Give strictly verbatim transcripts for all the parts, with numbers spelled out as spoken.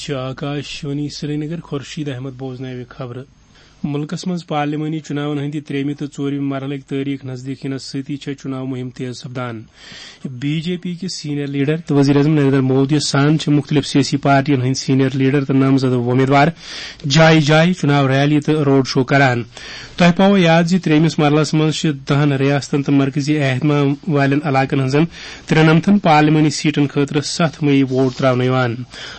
چھِ آکاش وانی سرینگر۔ خورشید احمد بوزناوِ خبرٕ۔ مُلکَس منٛز پارلیمانی چُناون ہٕنٛدِ ترٛیٚیمہِ تہٕ ژوٗرمہِ مرحلٕکۍ تٲریٖخ نزدیٖک یِنَس سۭتی چھےٚ چُناو مُہِم تیز سپدان۔ بی جے پی کِس سینئر لیڈر تہٕ وزیر اعظم نریندر مودی سان چھِ مُختٔلِف سیٲسی پارٹیَن ہٕنٛدۍ سینئر لیڈر تہٕ نامزد وۄمیدوار جایہِ جایہِ چُناو ریلی تہٕ روڈ شو کران۔ تۄہہِ پاوو یاد زِ ترٛیٚیمِس مرحلَس منٛز چھِ دَہَن ریاستَن تہٕ مرکزی اہتمام والٮ۪ن علاقَن ہٕنٛزَن ترٛنَمتھن پارلیمانی سیٹن خٲطرٕ ستھ مئی ووٹ تراونہٕ یِوان۔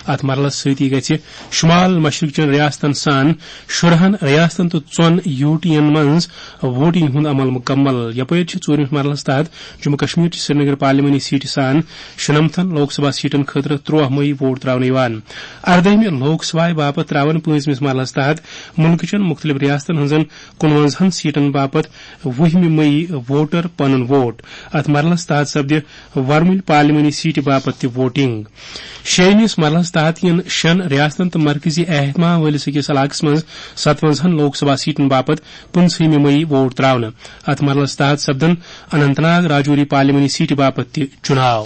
اتھ مرحلس سۭتی گژھِ شمال مشرق چٮ۪ن ریاستن سان شُرہن ریاستن تہٕ ژۄن یو ٹی ین منٛز ووٹنگ ہُنٛد عمل مکمل۔ یپٲرۍ چھِ ژوٗرمِس مرحلس تحت جموں کشمیر چہِ سرینگر پارلیمانی سیٹہِ سان شُنمتھن لوک سبھا سیٹن خٲطرٕ ترٛوہ مئی ووٹ تراونہٕ یِوان۔ اردٲہمہِ لوک سبھایہ باپتھ تراون پٲنٛژمِس مرحلس تحت مُلکہٕ چٮ۪ن مُختٔلِف ریاستن ہٕنٛزن کُنوَنزاہن سیٹن باپتھ وُہمہِ مئی ووٹر پنُن ووٹ۔ اتھ مرحلس تحت سپدِ ورمُلۍ پارلیمانی سیٹہِ باپتھ تہِ ووٹنگ۔ شیٚیمِس مرحلس تحت یِن شٮ۪ن ریاستن تہٕ مرکزی اہتمام وٲلِس أکِس علاقس منٛز ستونزاہن لوک سبھا سیٹن باپتھ پٕنٛژٕہمہِ مئی ووٹ تراونہٕ۔ اتھ مرحلس تحت سپدن اننت ناگ راجوری پارلیمانی سیٹہِ باپتھ تہِ چُناو۔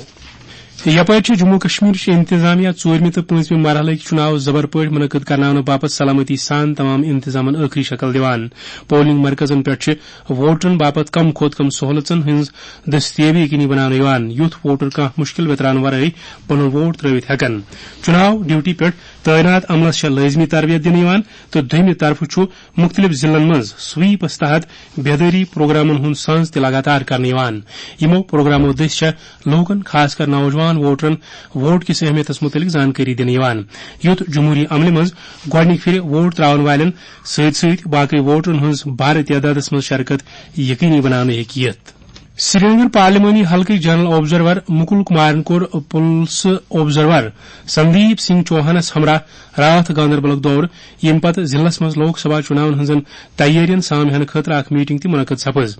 یپٲرۍ چھِ جموں کشمیرٕچ انتظامیہ ژوٗرمہِ تہٕ پٲنٛژمہِ مرحلٕکۍ چُناو زبر پٲٹھۍ منعقد کرناونہٕ باپتھ سلامتی سان تمام انتظامن ٲخری شکل دِوان۔ پولنگ مرکزن پٮ۪ٹھ چھِ ووٹرن باپتھ کم کھۄتہٕ کم سہولژن ہٕنٛز دستیابی یقینی بناونہٕ یِوان، یُتھ ووٹر کانٛہہ مُشکل ویتران ورٲے پنُن ووٹ ترٲوِتھ ہٮ۪کن۔ چُناو ڈیوٹی پٮ۪ٹھ تعینات عملس چھےٚ لٲزمی تربیت دِنہٕ یِوان تہٕ دوٚیمہِ طرفہٕ چھُ مُختٔلِف ضلعن منٛز سویپس تحت بیدٲری پروگرامن ہُنٛد سانز تہِ لگاتار کرنہٕ یِوان۔ یِمو پروگرامو دٔسۍ چھےٚ لوٗکن، خاص کر نوجوان ووٹرن، ووٹ کِس اہمیتس مُتعلق زانکٲری دِنہٕ یِوان، یُتھ جمہوری عملہِ منٛز گۄڈٕنِکہِ پھِرِ ووٹ ترٛاوَن والٮ۪ن سۭتۍ سۭتۍ باقٕے ووٹرن ہٕنٛز بارٕ تعدادس منٛز شرکت یقینی بناونہٕ ہیٚکہِ یِتھ۔ سرینگر پارلیمانی حلقٕکۍ جنرل آبزرور مکل کمارن کوٚر پلس آبزرور سندیپ سنگھ چوہانس ہمراہ راتھ گاندربلُک دورٕ، ییٚمہِ پتہٕ ضلعس منٛز لوک سبھا چُناون ہٕنٛزن تیٲرین سام ہینہٕ خٲطرٕ اکھ میٹنگ تہِ منعقد سپٕز۔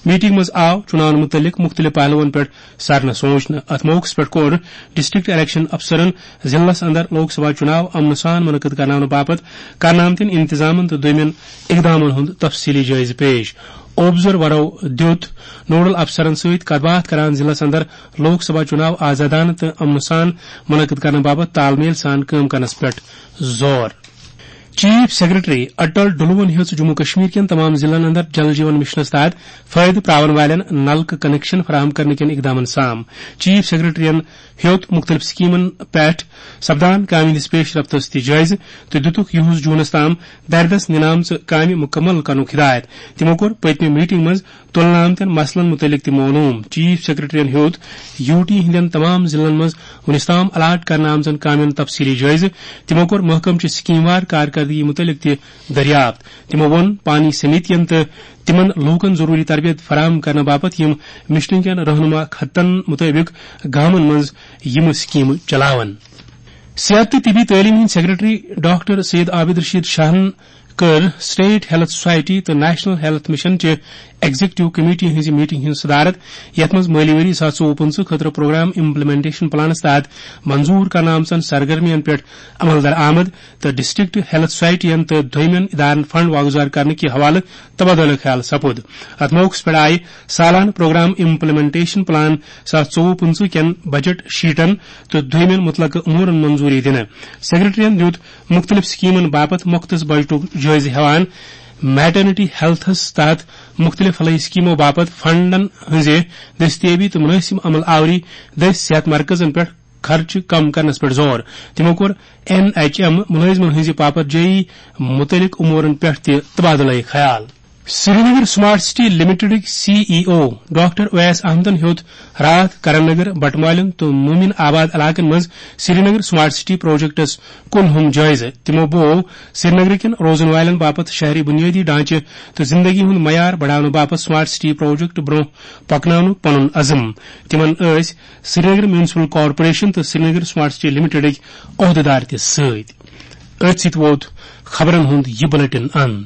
میٹنگ منٛز آو چُناون مُتعلق مُختٔلِف پہلوَن پٮ۪ٹھ سرنہٕ سوچنہٕ۔ اتھ موقعس پٮ۪ٹھ کوٚر ڈسٹرکٹ الیکشن افسرن ضلعس اندر لوک سبھا چُناو امنہٕ سان منعقد کرناونہٕ باپتھ کرنہٕ آمتٮ۪ن انتظامن تہٕ دوٚیمٮ۪ن اقدامن ہُنٛد تفصیلی جٲیزٕ پیش۔ آبزرورو دیُت نوڈل افسرن سۭتۍ کتھ باتھ کران ضلعس اندر لوک سبھا چُناو آزادانہٕ تہٕ امنہٕ سان منعقد کرنہٕ باپتھ تال میل سان کٲم کرنس پٮ۪ٹھ زور۔ چیف سیکرٹری اٹل ڈلوَن ہیٚژ جموں کشمیر کٮ۪ن تمام ضلعن اندر جل جیون مشنس تحت فٲیدٕ پراون والٮ۪ن نلکہٕ کنکشن فراہم کرنہٕ کٮ۪ن اقدامن سام۔ چیف سیکرٹریَن ہیوٚت مُختٔلِف سکیمن پٮ۪ٹھ سپدان کامہِ ہٕنٛدِس پیش رفتس تہِ جٲیزٕ تہٕ دِتُکھ یِہُس جوٗنَس تام دردس نِنہٕ آمژٕ کامہِ مُکمل کرنُک ہدایت۔ تِمو کوٚر پٔتمہِ میٹنگ منٛز تُلنہٕ آمتٮ۪ن مسلن مُتعلق تہِ معلوم۔ چیف سیکرٹریَن ہیوٚت یو ٹی ہٕنٛدٮ۪ن تمام ضلعن منٛز وُنِس تام الاٹ کرنہٕ آمژن کامٮ۪ن تفصیلی جٲیزٕ۔ تِمو کوٚر محکمہٕ چہِ سکیم وار کارکردگی مُتعلق تہِ دریافت۔ تِمو ووٚن پانی سمیتین تہٕ تِمن لوٗکن ضروٗری تربیت فراہم کرنہٕ باپتھ یِم مشنہٕ کٮ۪ن رہنما خطن مُطٲبِق گامن منٛز یِم سکیمہٕ چلاون۔ صحت تہٕ طبی تعلیٖم ہٕنٛدۍ سیکرٹری ڈاکٹر سید عابد رشید شاہن کٔر اسٹیٹ ہیلتھ سوسائٹی تہٕ نیشنل ہیلتھ مشن چہِ ایگزیکٹو کمیٹی ہٕنٛزِ میٹنگ ہٕنٛز صدارت، یتھ منٛز مٲلی ؤری زٕ ساس ژوٚوُہ پٕنٛژٕہ خٲطرٕ پروگرام امپلیمنٹیشن پلانس تحت منظور کرنہٕ آمژن سرگرمین پٮ۪ٹھ عمل درآمد تہٕ ڈسٹرکٹ ہیلتھ سوسائٹین تہٕ دویمٮ۪ن ادارن فنڈ واگزار کرنہٕ کہِ حوالہٕ تبادلہٕ خیال سپُد۔ اتھ موقعس پٮ۪ٹھ آیہِ سالانہٕ پروگرام امپلیمنٹیشن پلان زٕ ساس ژوٚوُہ پٕنٛژٕہ کٮ۪ن بجٹ شیٹن تہٕ دویمٮ۪ن متعلقہٕ امورن منظوری دِنہٕ۔ سیکرٹریَن دِیُت مُختٔلِف سکیمن باپتھ مختص بجٹُک جٲیزٕ ہٮ۪وان میٹرنٹی ہیلتھس تحت مُختٔلِف فلاحی سکیمو باپتھ فنڈن ہٕنٛزِ دستیابی تہٕ مُنٲسِب عمل آوری دٔسۍ صحت مرکزن پٮ۪ٹھ خرچہٕ کم کرنس پٮ۪ٹھ زور۔ تِمو کوٚر این ایچ ایم مُلٲزمن ہٕنٛزِ پاپرجٲیی مُتعلق امورن پٮ۪ٹھ تہِ تبادلہٕ خیال۔ سرینگر سمارٹ سٹی لمیٹڈٕکۍ سی ای او ڈاکٹر اویس احمدن ہیوٚت راتھ کرن نگر، بٹمالین تہٕ مومن آباد علاقن منٛز سرینگر سمارٹ سٹی پروجیکٹس کُلہُم جٲیزٕ۔ تِمو بوو سرینگر کٮ۪ن روزن والٮ۪ن باپتھ شہری بنیٲدی ڈھانچہٕ تہٕ زندگی ہُنٛد معیار بڑاونہٕ باپتھ سمارٹ سٹی پروجیکٹ برونٛہہ پکناونُک پنُن عزم۔ تِمن ٲسۍ سرینگر میونسپل کارپوریشن تہٕ سرینگر سمارٹ سٹی لمیٹڈٕکۍ عہدیدار تہِ سۭتۍ۔ أتھۍ سۭتۍ ووت خبرن ہُنٛد یہِ بلیٹن اند۔